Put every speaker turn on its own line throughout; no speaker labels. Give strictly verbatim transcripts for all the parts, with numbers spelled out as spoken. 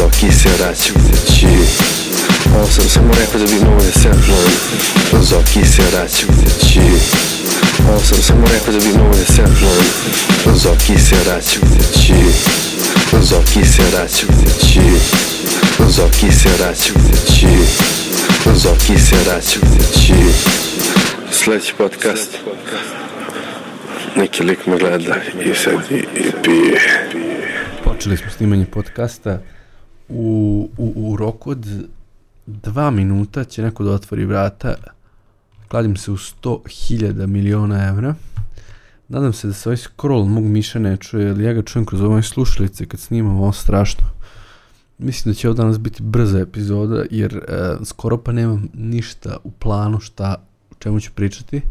Zoki se vraća kući. Ovo sam samo rekao da bi mogo da se apnujem. Zoki se vraća kući. Ovo sam samo rekao da bi mogo da se apnujem. Zoki se vraća kući. Zoki se vraća kući. Zoki se vraća kući. Zoki se vraća kući. Sljedeći podcast. Neki lik me gleda i sad i, i pije.
Počeli smo snimanje podcasta. U, u, u roku od dva minuta će neko da otvori vrata. Kladim se u sto hiljada miliona evra. Nadam se da se ovaj scroll mog miša ne čuje, ali ja ga čujem kroz ove slušalice kad snimam, ovo strašno. Mislim da će ovo danas biti brza epizoda, jer uh, skoro pa nemam ništa u planu šta, o čemu ću pričati.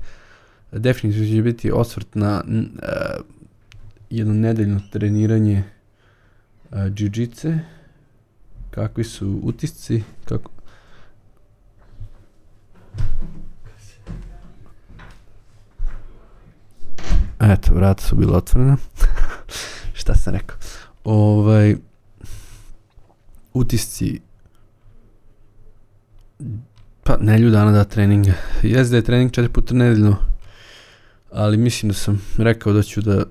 Definitivno će biti osvrt na uh, jedno nedeljno treniranje uh, jiu-jitsu. Kakvi su utisci, kako... Eto, vrata su bila otvorena. Šta sam rekao? Ovaj... Utisci... Pa, nedelju dana da treninga. Jes da je trening četiri puta nedeljno, ali mislim da sam rekao da ću da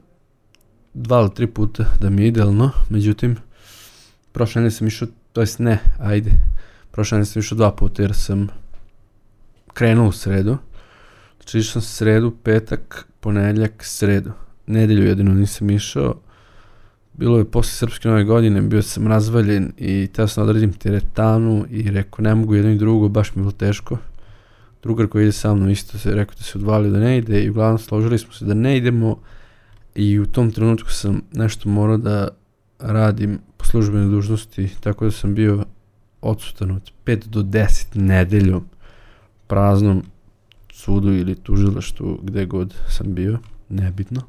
dva ili tri puta da mi je idealno, međutim, prošle nedelje sam išao, to jest ne, ajde, prošle nedelje sam išao dva puta jer sam krenuo u sredu, znači išao sam sredu, petak, ponedjeljak, sredu, nedelju jedino nisam išao, bilo je posle srpske nove godine, bio sam razvaljen i teo sam da odredim teretanu i rekao ne mogu jedno i drugo, baš mi je bilo teško. Drugar koji ide sa mnom isto se rekao da se odvalio da ne ide i uglavnom složili smo se da ne idemo i u tom trenutku sam nešto morao da radim po službenoj dužnosti, tako da sam bio odsutan od pet do deset nedeljom praznom sudu ili tužilaštvu gde god sam bio, nebitno.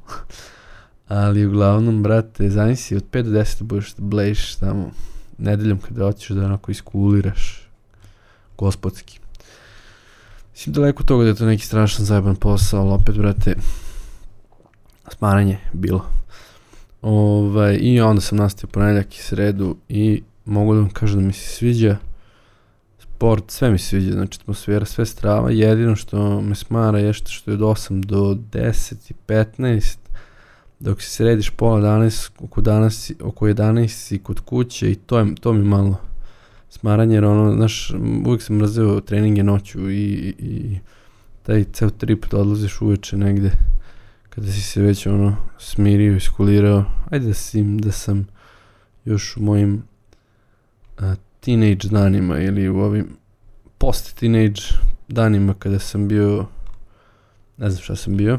Ali uglavnom, brate, zamisli od pet do deset da budeš da blejiš tamo nedeljom kada hoćeš da onako iskuliraš gospodski. Mislim daleko toga da je to neki strašan zajeban posao, ali opet, brate, smaranje bilo. Ovaj, I onda sam nastavio ponedjeljak i sredu i mogu da vam kažem da mi se sviđa sport, sve mi se sviđa, znači atmosfera, sve strava, jedino što me smara je što je od osam do deset i petnaest, dok se središ pola danas, oko, danas, oko jedanaest si kod kuće i to, je, to mi malo smaranje, jer ono, znaš, uvijek sam mrazeo treninge noću i, i, i taj ceo trip da odlaziš uveče negde, kada si se već ono smirio, iskulirao, ajde da, si, da sam još u mojim a, teenage danima ili u ovim post-teenage danima kada sam bio, ne znam šta sam bio,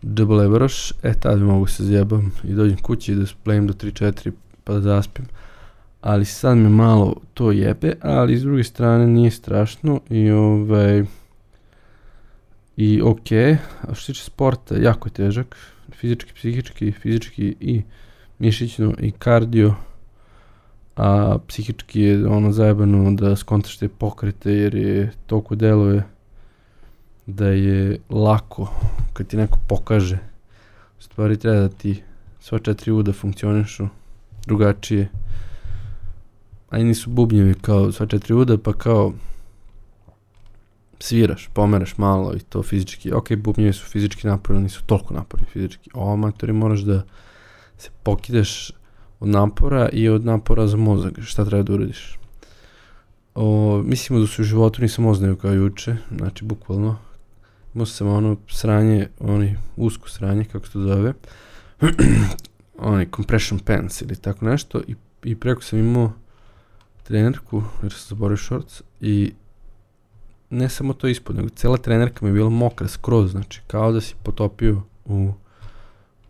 debelebroš, e tada mogu se zjebam i dođem kući i da splayim do tri četiri pa da zaspim. Ali sad me malo to jebe, ali s druge strane nije strašno i ovaj i okej, okay. A što se tiče sporta, jako je težak, fizički, psihički, fizički i mišićno i kardio, a psihički je ono zajebano da skontaš te pokrete jer je toliko deluje da je lako kad ti neko pokaže. U stvari treba da ti sva četiri uda funkcionišu drugačije. Aj nisu bubnjevi kao sva četiri uda, pa kao sviraš, pomeraš malo i to fizički. Ok, bubnjevi su fizički naporni, nisu toliko naporni fizički. O, amatori moraš da se pokidaš od napora i od napora za mozak. Šta treba da uradiš? O, mislimo da su u životu nisam oznaju kao juče, znači bukvalno. Imao sam ono sranje, oni usko sranje, kako se to zove, oni compression pants ili tako nešto i, i preko sam imao trenerku, jer sam zaboravio shorts i ne samo to ispod, nego cela trenerka mi je bila mokra skroz, znači kao da si potopio u,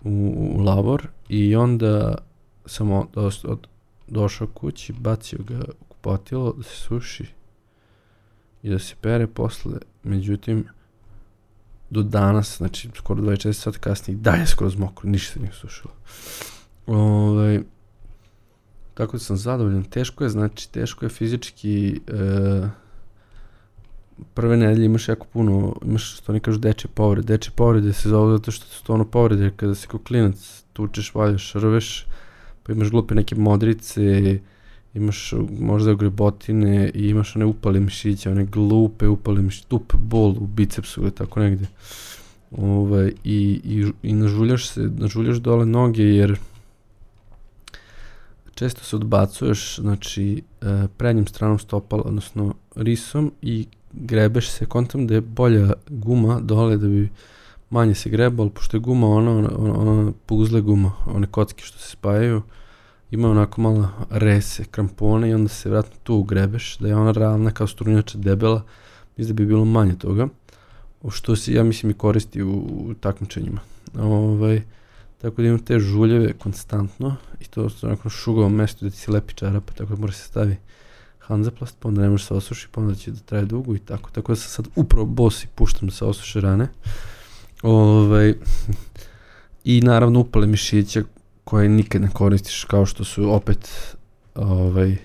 u, u lavor i onda sam od, od, došao kući, bacio ga u kupatilo da se suši i da se pere posle, međutim do danas, znači skoro dvadeset četiri sata kasnije, da je skroz mokro, ništa se nije sušilo. Ovaj, tako da sam zadovoljan, teško je, znači teško je fizički, e, prve nedelje imaš jako puno, imaš što oni kažu dečje povrede, dečje povrede se zove zato što su to ono povrede kada si kao klinac tučeš, valjaš, rveš, pa imaš glupe neke modrice, imaš možda grebotine i imaš one upale mišiće, one glupe upale mišiće, tup bol u bicepsu ili tako negde. Ovaj, i, i, i nažuljaš se, nažuljaš dole noge jer često se odbacuješ, znači prednjim stranom stopala, odnosno risom i grebeš se, kontam da je bolja guma dole da bi manje se grebalo, pošto je guma ona, ona, ona, ona puzle guma, one kocke što se spajaju, ima onako malo rese, krampone i onda se vratno tu grebeš, da je ona ravna kao strunjača debela, mislim da bi bilo manje toga, što se ja mislim i koristi u, u takmičenjima. Ovaj, tako da imam te žuljeve konstantno i to su onako šugovom mestu da ti se lepi čarapa, tako da mora se stavi hanzaplast, pa onda ne može se osuši, pa onda će da traje dugo i tako. Tako da sam sad upravo bos i puštam da se osuše rane. Ovaj, I naravno upale mišića koje nikad ne koristiš, kao što su opet ovaj,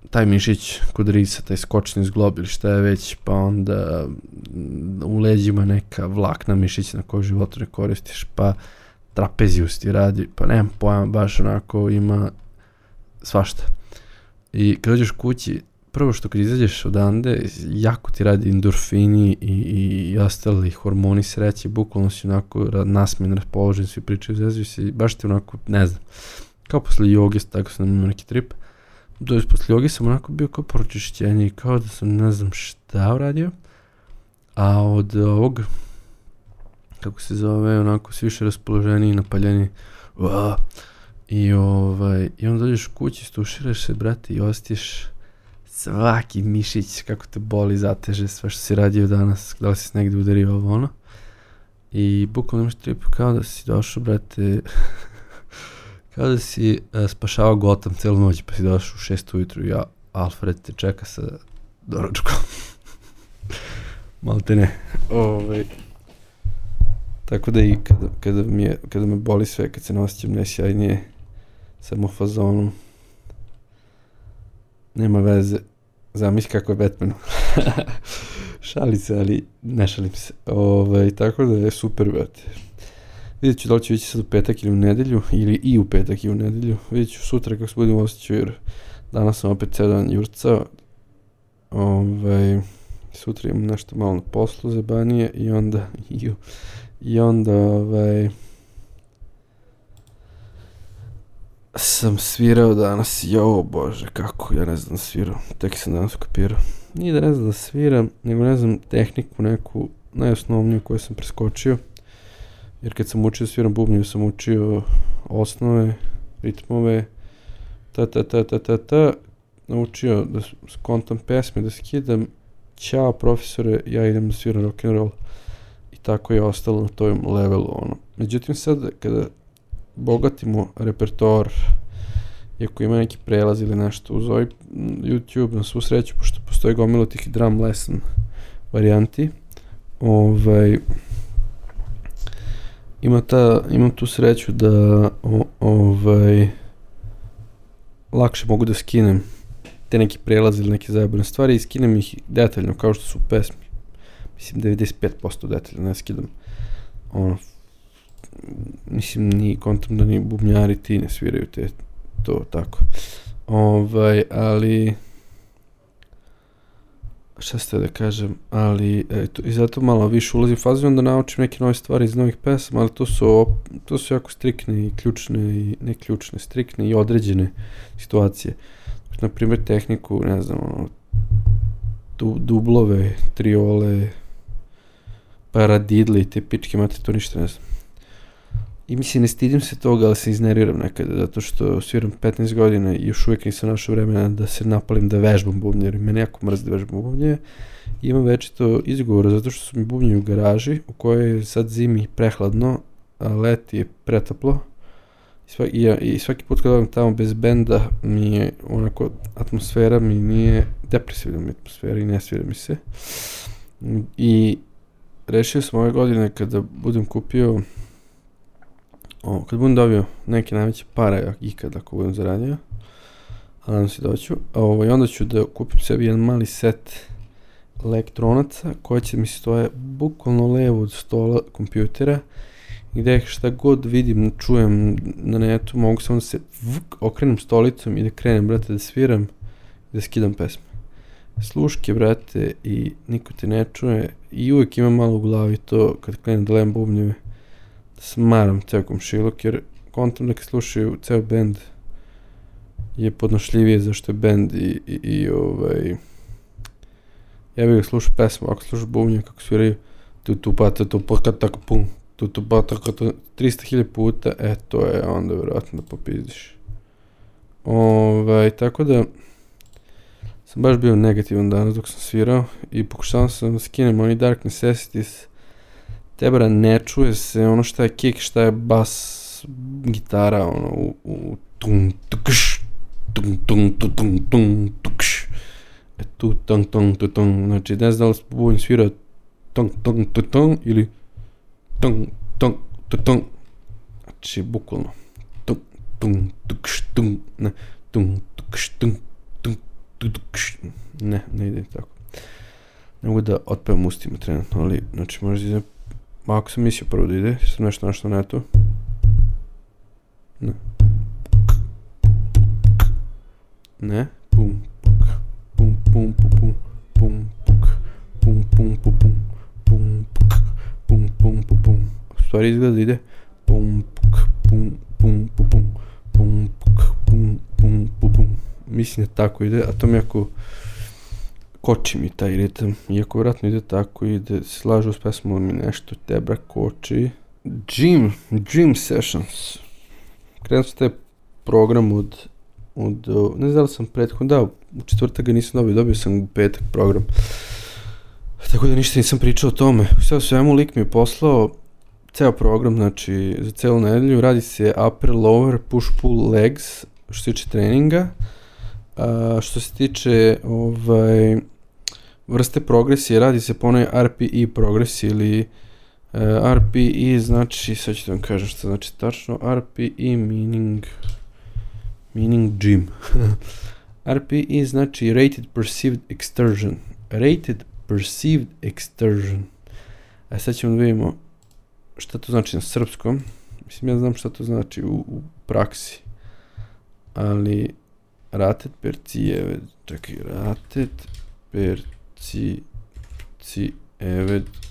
taj mišić kod risa, taj skočni zglob ili šta je već, pa onda u leđima neka vlakna mišića na koju životu ne koristiš, pa trapezijus ti radi, pa nemam pojma, baš onako ima svašta. I kad dođeš kući, prvo što kad izađeš odande, jako ti radi endorfini i, i, i ostali hormoni sreće, bukvalno si onako nasmijen, raspoložen, svi pričaju, zezuju se i baš ti onako, ne znam, kao posle joge, tako sam imao neki trip. Dođeš posle joge sam onako bio kao pročišćenje i kao da sam ne znam šta uradio, a od ovog, kako se zove, onako svi više raspoloženi i napaljeni, uaa, i ovaj, i onda dođeš kući, stuširaš se, brate, i osjetiš svaki mišić, kako te boli, zateže, sve što si radio danas, da li si negdje udario ovo, ono, i bukvalno imaš trip kao da si došao, brate, kao da si uh, spašavao Gotham celu noć, pa si došao u šest ujutru i ja, Alfred te čeka sa doručkom. Malte ne. Ovaj. Tako da i kada, kada, mi je, kada me boli sve, kad se ne osjećam najsjajnije, sam u fazonu, nema veze, zamisli kako je Batmanu. Šali se, ali ne šalim se. Ovaj, tako da je super, brate. Vidjet ću da li ću ići sad u petak ili u nedelju, ili i u petak i u nedelju. Vidjet ću sutra kako se budem osjećao, jer danas sam opet cijel dan jurcao. Ovaj, sutra imam nešto malo na poslu za banije i onda, i, i onda, ovaj, sam svirao danas, jo bože, kako, ja ne znam da svirao, tek sam danas ukapirao. Nije da ne znam da sviram, nego ne znam tehniku neku, najosnovniju koju sam preskočio. Jer kad sam učio sviram bubnju, sam učio osnove, ritmove, ta ta ta ta ta ta, naučio da skontam pesme, da skidam, ćao profesore, ja idem da sviram rock'n'roll. I tako je ostalo na tom levelu, ono. Međutim sad, kada bogatimo repertoar, i ako ima neki prelaz ili nešto uz ovaj YouTube, na svu sreću, pošto postoji gomilo tih drum lesson varijanti, ovaj, ima ta, imam tu sreću da o, ovaj, lakše mogu da skinem te neki prelaze ili neke zajebane stvari i skinem ih detaljno kao što su pesmi. Mislim devedeset pet posto detaljno ne skidam. Ono, mislim ni kontam da ni bubnjari ti ne sviraju te to tako. Ovaj, ali šta ste da kažem, ali eto, i zato malo više ulazim u fazu, onda naučim neke nove stvari iz novih pesama, ali to su, to su jako strikne i ključne, i ne ključne, strikne i određene situacije. Na primjer tehniku, ne znam, ono, du, dublove, triole, paradidle i te pičke mate, to ništa ne znam. I mislim, ne stidim se toga, ali se izneriram nekada, zato što sviram petnaest godina i još uvijek nisam našao vremena da se napalim da vežbam bubnje, jer mene jako mrzi da vežbam bubnje. I imam večito izgovor, zato što su mi bubnje u garaži, u kojoj je sad zimi prehladno, a leti je pretoplo. I svaki, i, ja, i svaki put kad odem tamo bez benda, mi je onako, atmosfera mi nije, depresivna mi atmosfera i ne svira mi se. I rešio sam ove godine kada budem kupio, O, kad budem dobio neke najveće pare ikad ako budem zaradio, a nadam se doću, ovaj, onda ću da kupim sebi jedan mali set elektronaca koji će mi stoje bukvalno levo od stola kompjutera gdje šta god vidim, čujem na netu, mogu samo da se vuk, okrenem stolicom i da krenem, brate, da sviram i da skidam pesme. Sluške, brate, i niko te ne čuje i uvijek imam malo u glavi to kad krenem da lem bubnjeve, da smaram ceo komšiluk, jer kontam da kad slušaju ceo band je podnošljivije zašto je band i, i, i ovaj, ja bih ga slušao pesmu, ako slušaš bubnje kako sviraju tu tu pa tu tu pa tak pum tu tu pa tak trista hiljada puta, e to je onda vjerojatno da popizdiš. Ovaj, tako da sam baš bio negativan danas dok sam svirao i pokušao sam da skinem oni Dark Necessities. Tebara ne čuje se ono šta je kick, šta je bas, gitara, ono u, u tum tukš tum tum tum tum tum tukš. E tu tung tung tung tung, znači ne znam da li se bubnj svira tung tung tung tung ili tung tung tung tung, znači bukvalno tung tung tukš tung, ne, tung tukš tung tung tung tukš, ne, ne ide tako. Ne mogu da otpevam ustima trenutno, ali znači možda ide, ako sam mislio prvo da ide, sam nešto našao na to. Ne. Ne, pum, pum, pum, pum, pum, pum, pum, pum, pum, pum, pum, pum, pum, pum, pum. U stvari izgleda da ide pum, pum, pum, pum, pum, pum, pum, pum, pum, pum. Mislim da tako ide, a to mi jako koči mi taj ritam, iako vjerojatno ide tako i da se slažu s pesmom mi nešto tebra koči. Jim, Jim Sessions. Krenuo sam taj program od, od, ne znam da li sam prethodno, da, u četvrtak ga nisam dobio, dobio sam u petak program. Tako da ništa nisam pričao o tome. Sve o svemu lik mi je poslao ceo program, znači za celu nedelju, radi se upper, lower, push, pull, legs, što se tiče treninga. A, što se tiče ovaj, vrste progresije, radi se po onoj R P E progresiji ili uh, R P E znači, sad ću da vam kažem što znači tačno, R P E meaning, meaning gym. R P E znači Rated Perceived Exertion. Rated Perceived Exertion. A sad ćemo da vidimo šta to znači na srpskom. Mislim, ja znam šta to znači u, u praksi. Ali rated perceived, čekaj, rated perceived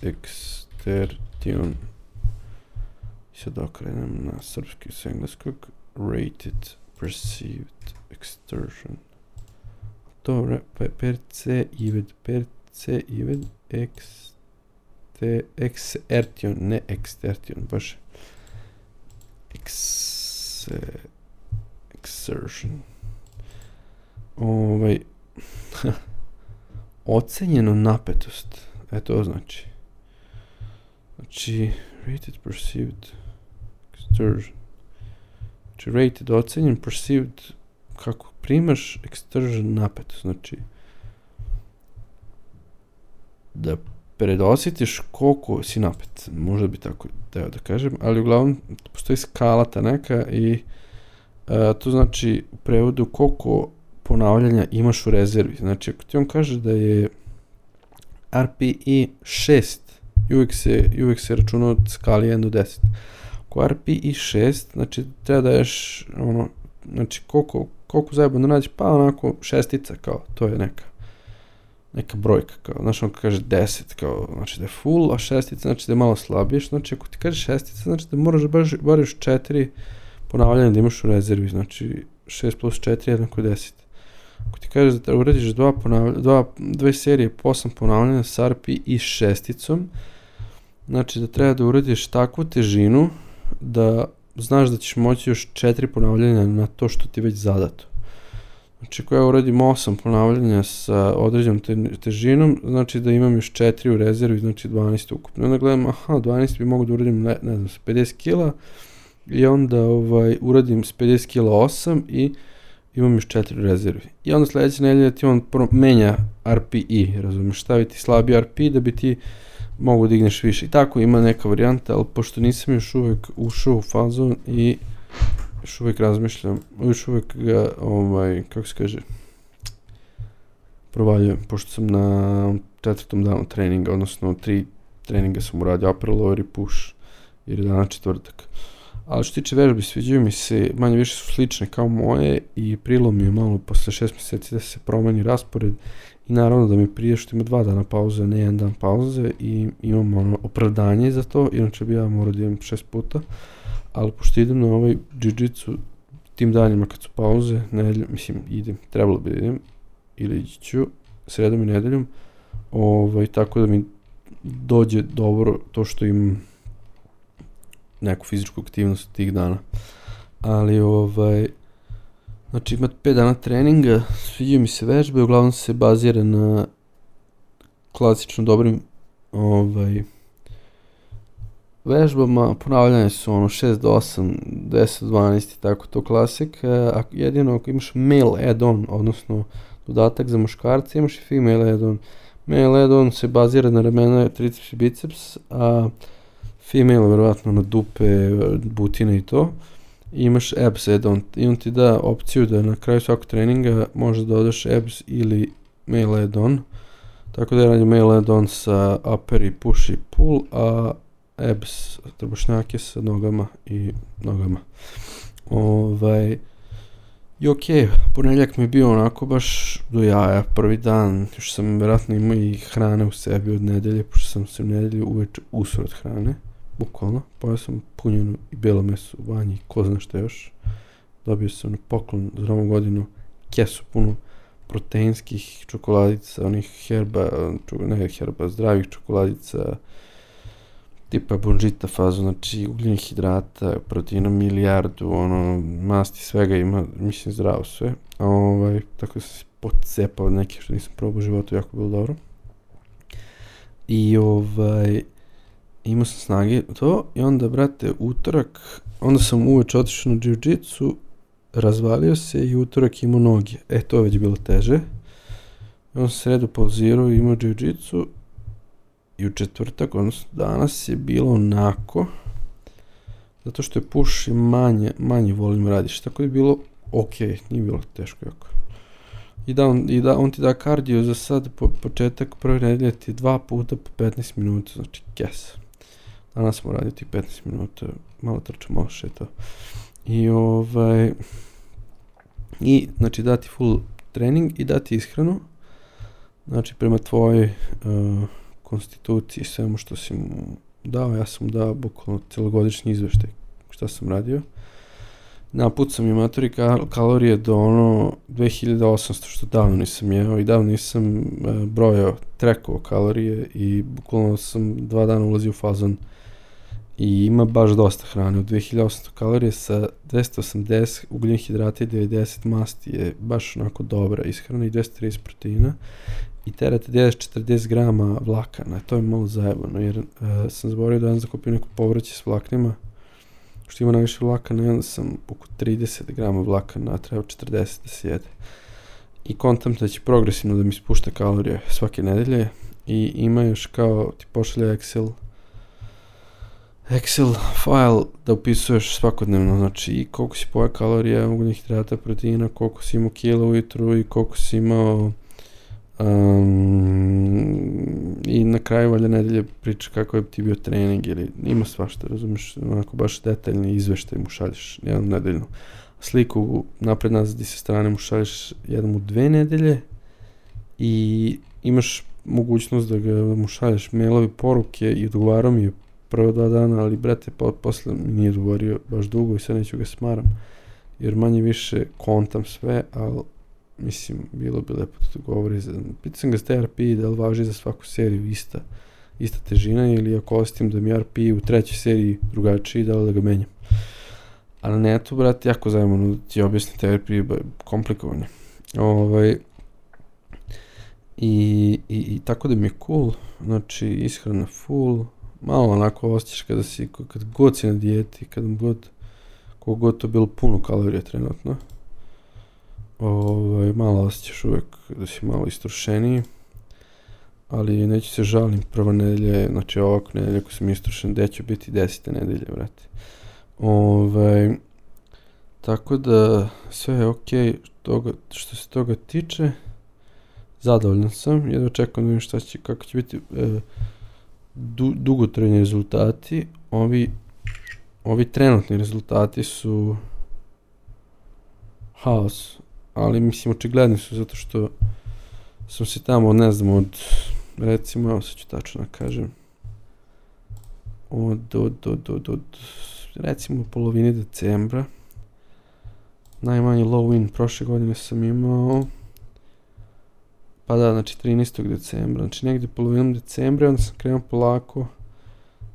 exertion. I sad okrenem na srpski s engleskog. Rated perceived exertion. To re, pe, perceived, perceived ex, te, exertion, ne exertion, baš ex, exertion. Ovaj, ocenjeno napetost, e to znači. Znači, rated perceived exertion. Znači, rated ocenjen, perceived, kako primaš, exertion napetost, znači da predosjetiš koliko si napet, možda bi tako teo da kažem, ali uglavnom postoji skala ta neka i a, to znači u prevodu koliko ponavljanja imaš u rezervi. Znači, ako ti on kaže da je R P E šest, uvijek se, uvijek se računa od skali jedan do deset. Ako R P E šest, znači treba da ješ, ono, znači koliko, koliko zajebano nađeš, pa onako šestica, kao, to je neka, neka brojka, kao, znači on kaže deset, kao, znači da je full, a šestica znači da je malo slabije, znači ako ti kaže šestica, znači da moraš da baš, bar još četiri ponavljanja da imaš u rezervi, znači šest plus četiri jednako deset. Ako ti kažeš da uradiš dva ponavlja, dva, dve serije po osam ponavljanja s R P E šesticom, znači da treba da uradiš takvu težinu da znaš da ćeš moći još četiri ponavljanja na to što ti već zadato. Znači ako ja uradim osam ponavljanja sa određenom te, težinom, znači da imam još četiri u rezervi, znači dvanaest ukupno. Onda gledam, aha, dvanaest bi mogu da uradim, ne, ne znam, s pedeset kila i onda ovaj, uradim s pedeset kila osam i imam još četiri u rezervi. I onda sljedeće nedelje ti on menja R P E, razumiješ, staviti slabiji R P E da bi ti mogu digneš više. I tako ima neka varijanta, ali pošto nisam još uvijek ušao u fazon i još uvijek razmišljam, još uvijek ga, ovaj, kako se kaže, provaljujem, pošto sam na četvrtom danu treninga, odnosno tri treninga sam uradio, upper, lower i push. jer je danas četvrtak. Ali što tiče vežbi, sviđaju mi se, manje više su slične kao moje i prilo mi je malo posle šest mjeseci da se promeni raspored i naravno da mi prije što ima dva dana pauze, ne jedan dan pauze i imam ono opravdanje za to, inače bi ja morao da idem šest puta, ali pošto idem na ovaj jiu-jitsu tim danima kad su pauze, nedelj, mislim idem, trebalo bi da idem ili ići ću sredom i nedeljom, ovaj, tako da mi dođe dobro to što imam neku fizičku aktivnost tih dana. Ali ovaj, znači imate pet dana treninga, sviđaju mi se vežbe, uglavnom se bazira na klasično dobrim ovaj, vežbama, ponavljanje su ono šest do osam, deset do dvanaest i tako to klasik, a jedino ako imaš male add-on, odnosno dodatak za muškarce, imaš i female add-on. Male add-on se bazira na ramena, triceps i biceps, a female verovatno na dupe, butine i to. I imaš abs add-on i on ti da opciju da na kraju svakog treninga možeš da dodaš abs ili male add-on. Tako da je radim male add-on sa upper i push i pull, a abs trbušnjake sa nogama i nogama. Ovaj, i okej, okay, ponedjeljak mi je bio onako baš do jaja, prvi dan, još sam vjerojatno imao i hrane u sebi od nedelje, pošto sam se u nedelju uveče usro od hrane, bukvalno, pojao sam punjenu i bijelo meso u banji i ko zna što još. Dobio sam na poklon za novu godinu kesu punu proteinskih čokoladica, onih herba, ne herba, zdravih čokoladica, tipa Bonžita fazu, znači ugljenih hidrata, proteina milijardu, ono, masti, svega ima, mislim zdravo sve, ovaj, tako da sam se pocepao od neke što nisam probao u životu, jako bilo dobro. I ovaj, imao sam snage to i onda, brate, utorak, onda sam uveče otišao na jiu-jitsu, razvalio se i utorak imao noge, e, to je već bilo teže. I onda sam sredu pauzirao i imao jiu-jitsu. I u četvrtak, odnosno danas je bilo onako, zato što je push i manje, manje volim radiš, tako je bilo ok, nije bilo teško jako. I da on, i da, on ti da kardio za sad, po, početak prve nedelje ti dva puta po petnaest minuta, znači kes. Danas smo radili ti petnaest minuta, malo trča, malo šeta. I ovaj, i znači dati full trening i dati ishranu, znači prema tvojoj uh, konstituciji, svemu što si mu dao, ja sam dao bukvalno celogodišnji izveštaj šta sam radio. Napucam i matori kalorije do ono dve hiljade osamsto, što davno nisam jeo i davno nisam e, brojao, trekovao kalorije i bukvalno sam dva dana ulazio u fazon i ima baš dosta hrane. Od dve hiljade osamsto kalorije sa dvesta osamdeset ugljenih hidrata i devedeset masti je baš onako dobra ishrana i dvesta trideset proteina. I terate deset četrdeset grama vlakana, to je malo zajebano, jer uh, sam zaboravio da jedan zakupio neko povrće s vlaknima, što ima najviše vlakana, i onda sam oko trideset grama vlakana, a treba četrdeset da se jede. I kontam da će progresivno da mi spušta kalorije svake nedelje i ima još kao ti pošalja Excel, Excel file da upisuješ svakodnevno, znači i koliko si pojeo kalorija, ugljenih hidrata, proteina, koliko si imao kila ujutru i koliko si imao. Um, i na kraju valjda nedelje priča kako je ti bio trening ili ima svašta, razumiješ, onako baš detaljni izveštaj mu šalješ jednom nedeljno. Sliku napred nazad i sa strane mu šalješ jednom u dve nedelje i imaš mogućnost da ga da mu šalješ mailovi poruke i odgovarao mi je prvo dva dana, ali brate po, posle mi nije odgovorio baš dugo i sad neću ga smaram jer manje više kontam sve, ali mislim, bilo bi lepo da to govori. Pitao sam ga s T R P da li važi za svaku seriju ista, ista težina ili ako osjetim da mi R P u trećoj seriji drugačiji, da li da ga menjam. A na netu, brate, jako zajemano da ti objasni T R P, komplikovanje. Ovaj, i, i, i tako da mi je cool, znači ishrana full, malo onako osjećaš kada si, kad god si na dijeti, kad god, kog god to bilo puno kalorija trenutno. Ovaj, malo osjećaš uvijek da si malo istrošeniji, ali neću se žalim, prva nedelja, znači ovako nedelja ako sam istrošen, gdje ću biti desete nedelje, vrati. Ovaj, tako da sve je okej, okay, što se toga tiče, zadovoljan sam, jedva čekam da vidim šta će, kako će biti e, du, dugotrajni rezultati, ovi ovi trenutni rezultati su haos, ali mislim očigledni su zato što sam se tamo, ne znam, od, recimo, evo sad ću tačno da kažem, od, od, od, od, od, recimo polovini decembra, najmanji low win prošle godine sam imao, pa da, znači trinaestog decembra, znači negdje polovinom decembra, onda sam krenuo polako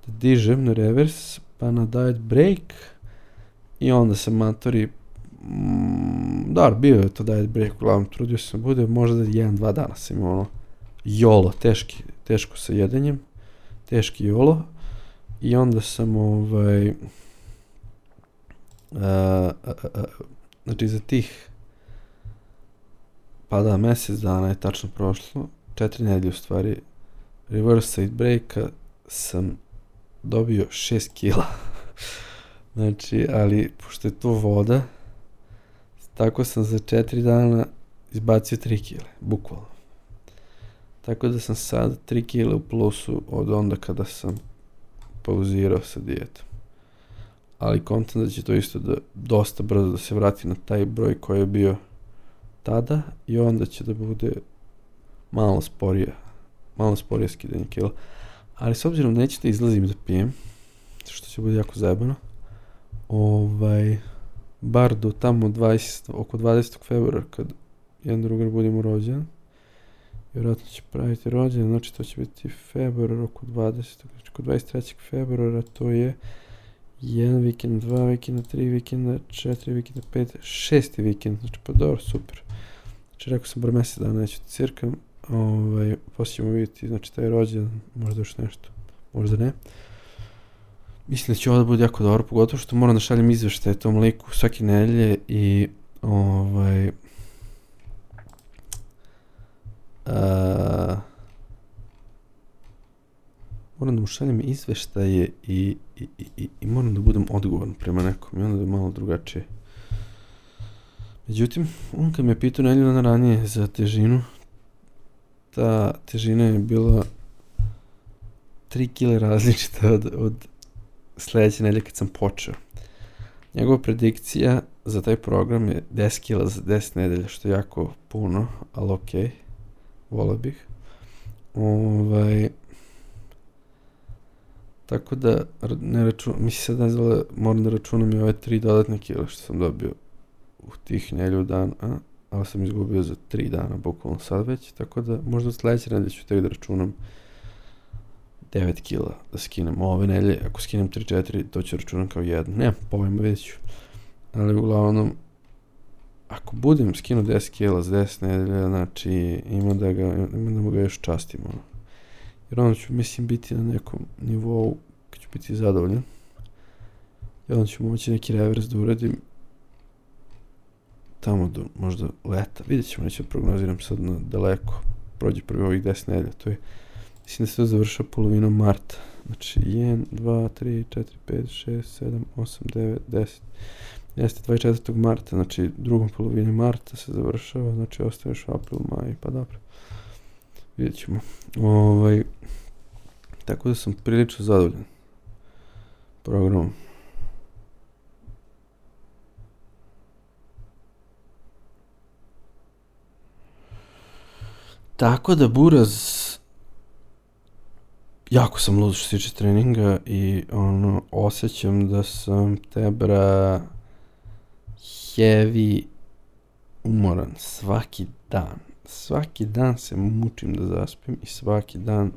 da dižem na revers, pa na diet break, i onda sam matori, mm, da, bio je to diet break, uglavnom trudio sam da bude, možda da jedan, dva dana sam imao ono, jolo, teški, teško sa jedenjem, teški jolo, i onda sam ovaj, uh, uh, uh, znači za tih, pa da, mjesec dana je tačno prošlo, četiri nedelje u stvari, reverse side breaka sam dobio šest kila. Znači, ali, pošto je to voda, tako sam za četiri dana izbacio tri kile, bukvalno. Tako da sam sad tri kile u plusu od onda kada sam pauzirao sa dijetom. Ali kontam da će to isto da, dosta brzo da se vrati na taj broj koji je bio tada, i onda će da bude malo sporije, malo sporije skidanje kila. Ali s obzirom neću da izlazim da pijem, što će bude jako zajebano, ovaj, bar do tamo dvadesetog oko dvadesetog februara, kad jedan drugar budemo rođen, vjerojatno će praviti rođen, znači to će biti februar oko dvadesetog, znači oko dvadeset trećeg februara, to je jedan vikend, dva vikenda, tri vikenda, četiri vikenda, pet, šesti vikend, znači pa dobro, super. Znači rekao sam bar mjesec dana neću da cirkam, ovaj, poslije ćemo vidjeti, znači taj rođen, možda još nešto, možda ne. Mislim da će ovo da bude jako dobro, pogotovo što moram da šaljem izveštaje tom liku svake nedelje i ovaj, a, moram da mu šaljem izveštaje i, i, i, i moram da budem odgovoran prema nekom, i onda da je malo drugačije. Međutim, on kad me pitao nedelju dana ranije za težinu, ta težina je bila tri kile različita od, od sljedeće nedelje kad sam počeo. Njegova predikcija za taj program je deset kila za deset nedelja, što je jako puno, ali okej, okay, volio bih. Ovaj, tako da, ne računam, mislim sad ne znam, moram da računam i ove tri dodatne kila što sam dobio u tih nedelju dana, ali sam izgubio za tri dana, bukvalno sad već, tako da možda od sljedeće nedelje ću tek da računam devet kila da skinem ove nedelje, ako skinem tri četiri, to ću računam kao jedno, nemam pojma, vidjet ću, ali uglavnom, ako budem skinuo deset kila za deset nedelja, znači ima da ga, ima da ga još častim, ono. Jer onda ću, mislim, biti na nekom nivou kad ću biti zadovoljan, i onda ću moći neki revers da uradim tamo do možda leta, vidjet ćemo, neću da prognoziram sad na daleko, prođe prvi ovih deset nedelja, to je, mislim da se to završa polovinom marta, znači jedan, dva, tri, četiri, pet, šest, sedam, osam, devet, deset, jeste dvadeset četvrtog marta, znači drugom polovini marta se završava, znači ostaveš april, maj, pa dobro, vidjet ćemo. Ovaj, tako da sam prilično zadovoljan programom. Tako da, Buraz, jako sam lud što se tiče treninga i ono, osjećam da sam tebra heavy umoran svaki dan. Svaki dan se mučim da zaspim i svaki dan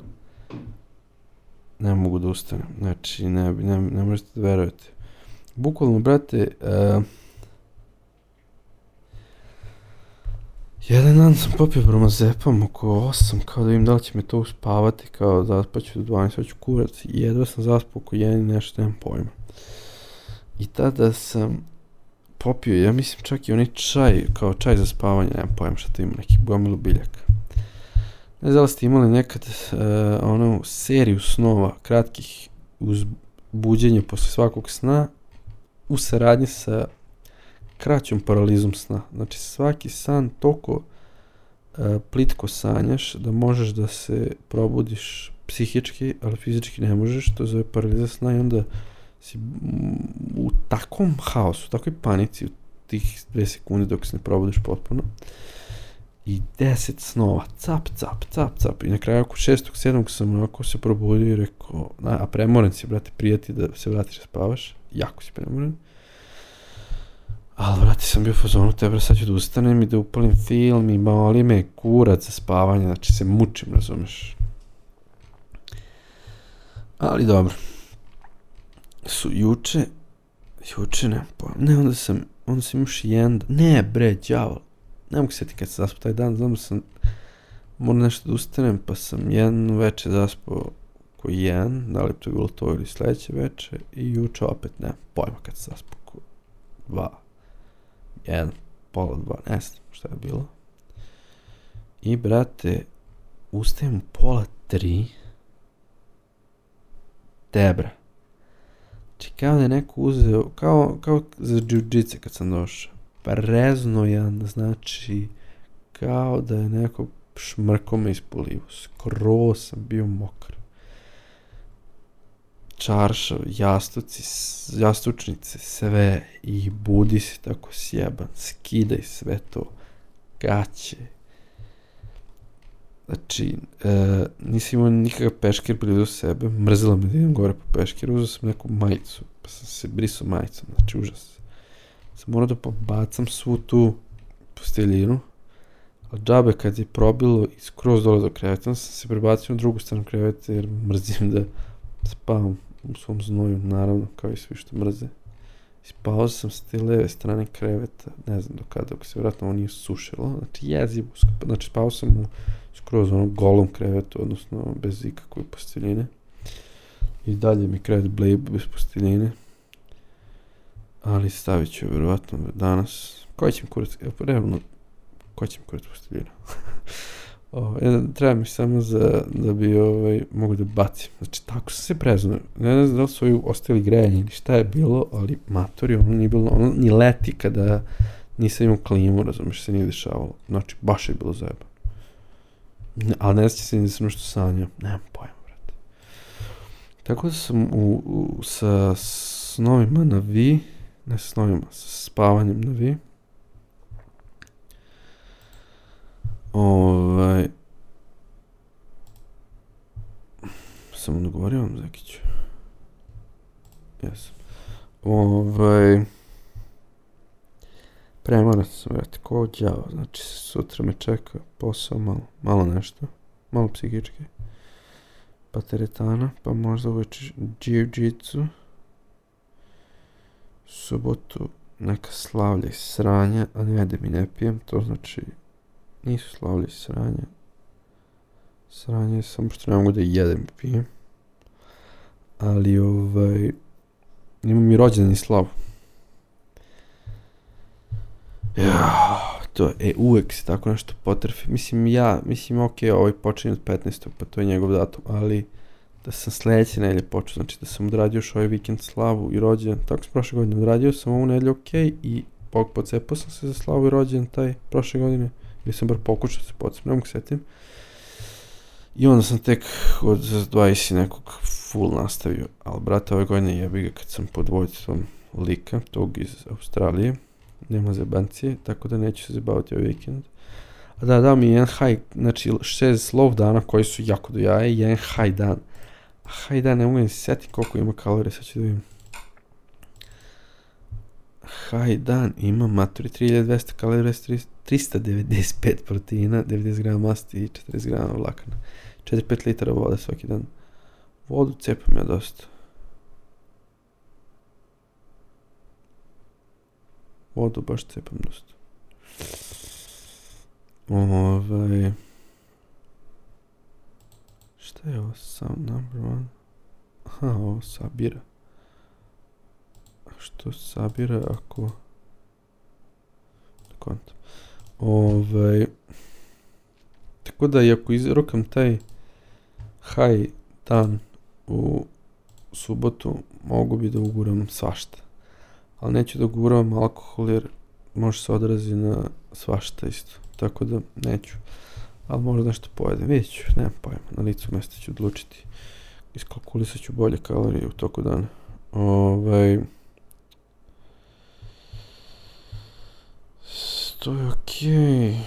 ne mogu da ustanem. Znači, ne, ne, ne možete da verujete. Bukvalno, brate, uh, jedan dan sam popio bromazepam oko osam, kao da vidim da li će me to uspavati, kao zaspaću do dvanaest, hoću kurac, i jedva sam zaspao oko jedan i nešto, nemam pojma. I tada sam popio, ja mislim čak i onaj čaj, kao čaj za spavanje, nemam pojma šta to ima, neki gomilu biljaka. Ne znam da ste imali nekad uh, onu seriju snova, kratkih uz buđenje posle svakog sna, u saradnji sa kraćom paralizom sna. Znači svaki san toliko uh, plitko sanjaš da možeš da se probudiš psihički, ali fizički ne možeš, to zove paraliza sna, i onda si u takvom haosu, u takvoj panici u tih dve sekunde dok se ne probudiš potpuno i deset snova, cap, cap, cap, cap i na kraju oko šestog, sedmog sam onako se probudio i rekao, a premoren si, brate, prijeti da se vratiš da spavaš, jako si premoren. Ali, brate, sam bio u fazonu, tebra, sad ću da ustanem i da upalim film i mali me kurac za spavanje, znači se mučim, razumeš. Ali dobro. Su juče, juče ne, pa, ne, onda sam, onda sam još jedan, ne bre, đavol, ne mogu sjetiti kad sam zaspao taj dan, znam da sam, moram nešto da ustanem, pa sam jedan večer zaspao ko jedan, da li to je bilo to ili sledeće večer, i juče opet, ne, pojma kad sam zaspao ko dva, jedan, pola dva, ne znam šta je bilo. I, brate, ustajem u pola tri, debra. Znači, kao da je neko uzeo, kao, kao za džiu-džice kad sam došao, preznojan, znači, kao da je neko šmrko me ispolivo, skroz sam bio mokar. Čaršav, jastuci, jastučnice, sve, i budi se tako sjeban, skidaj sve to, gaće. Znači, e, nisam imao nikakav peškir blizu sebe, mrzila me da idem gore po peškiru, uzeo sam neku majicu, pa sam se brisao majicom, znači užas. Sam morao da pobacam svu tu posteljinu, ali džabe kad je probilo i skroz dole do kreveta, sam se prebacio na drugu stranu kreveta jer mrzim da spavam u svom znoju, naravno, kao i svi što mrze. Spao sam s te leve strane kreveta, ne znam do kada, dok se vjerojatno ovo nije sušilo, znači jezivo, znači spao sam u skroz onom golom krevetu, odnosno bez ikakve posteljine. I dalje mi krevet blejb bez posteljine. Ali stavit ću vjerovatno danas. Koji će mi kurac, evo realno, koji će mi kurac posteljina? o, jedan, treba mi samo za, da bi ovaj, mogu da bacim. Znači, tako sam se preznuo. Ne znam da li su ovi ostali grejanje ili šta je bilo, ali matori, ono nije bilo, ono ni leti kada nisam imao klimu, razumiješ, se nije dešavalo. Znači, baš je bilo zajebano. Ali ne sjeća se ni da sam nešto sanjao. Nemam pojma, brate. Tako da sam u, u, sa snovima na vi, ne sa snovima, sa spavanjem na vi. Ovaj... Sam odgovorio vam, Zekiću. Jesam. Ovaj... Premoran sam, vrati, ko đavo, znači sutra me čeka posao malo, malo nešto, malo psihički, pa teretana, pa možda uveče džiu-džicu, subotu neka slavlja i sranja, a ne jedem i ne pijem, to znači nisu slavlja i sranja, sranje je samo što ne mogu da jedem i pijem, ali ovaj, imam i rođendan i slavu. Ja, to je, uvek se tako nešto potrfi. Mislim, ja, mislim, ok, ovaj počinje od petnaestog pa to je njegov datum, ali da sam sledeće nedelje počeo, znači da sam odradio još ovaj vikend slavu i rođendan, tako sam prošle godine odradio sam ovu nedelju, ok, i pocepao sam se za slavu i rođendan taj prošle godine, ili sam bar pokušao se pocepao, ne mogu setim. I onda sam tek od dvadeset nekog full nastavio, ali brate, ove godine jebi ga kad sam pod vojstvom lika, tog iz Australije, nema zebancije, tako da neću se zabaviti ovaj vikend. A da, dao mi jedan high, znači šest slov dana koji su jako do jaja i jedan high dan. A high dan ne mogu da se sjetim koliko ima kalorije, sad ću da vidim. High dan ima maturi tri hiljade dvesta kalorija, trista devedeset pet proteina, devedeset grama masti i četrdeset grama vlakana. četiri do pet litara vode svaki dan. Vodu cepam ja dosta. Vodu baš cepam dosta. Ovaj... Šta je ovo? Sound number one? Aha, ovo sabira. A što sabira ako... Kontam. Ovaj... Tako da i ako izrokam taj high dan u subotu, mogu bi da uguram svašta. Ali neću da guram alkohol jer može se odrazi na svašta isto. Tako da neću. Ali možda nešto pojedem. Vidjet ću, nemam pojma. Na licu mjesta ću odlučiti. Iskalkulisat ću bolje kalorije u toku dana. Ovaj... To je okej.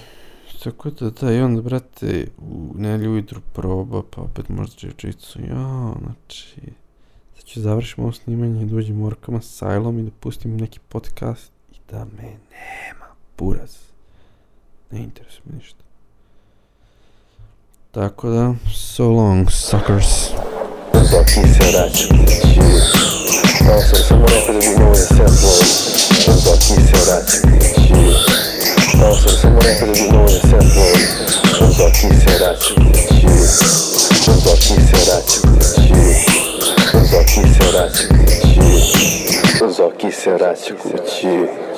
Tako da da, i onda, brate, u nedjelju ujutru proba, pa opet možda džiu-jitsu. Ja, znači... Sad ću završiti ovo snimanje i dođem u Arkama Asylum i da pustim neki podcast i da me nema, buraz. Ne interesuje me ništa. Tako da, so long, suckers.
Zoki se vraća kući. Malo sam samo rekao da bi mogo da se upload. Zoki se vraća kući. Malo sam samo rekao da bi mogo da se upload. Zoki se vraća kući. Zoki se vraća kući. Zoki se vraća kući. Zoki se vraća kući.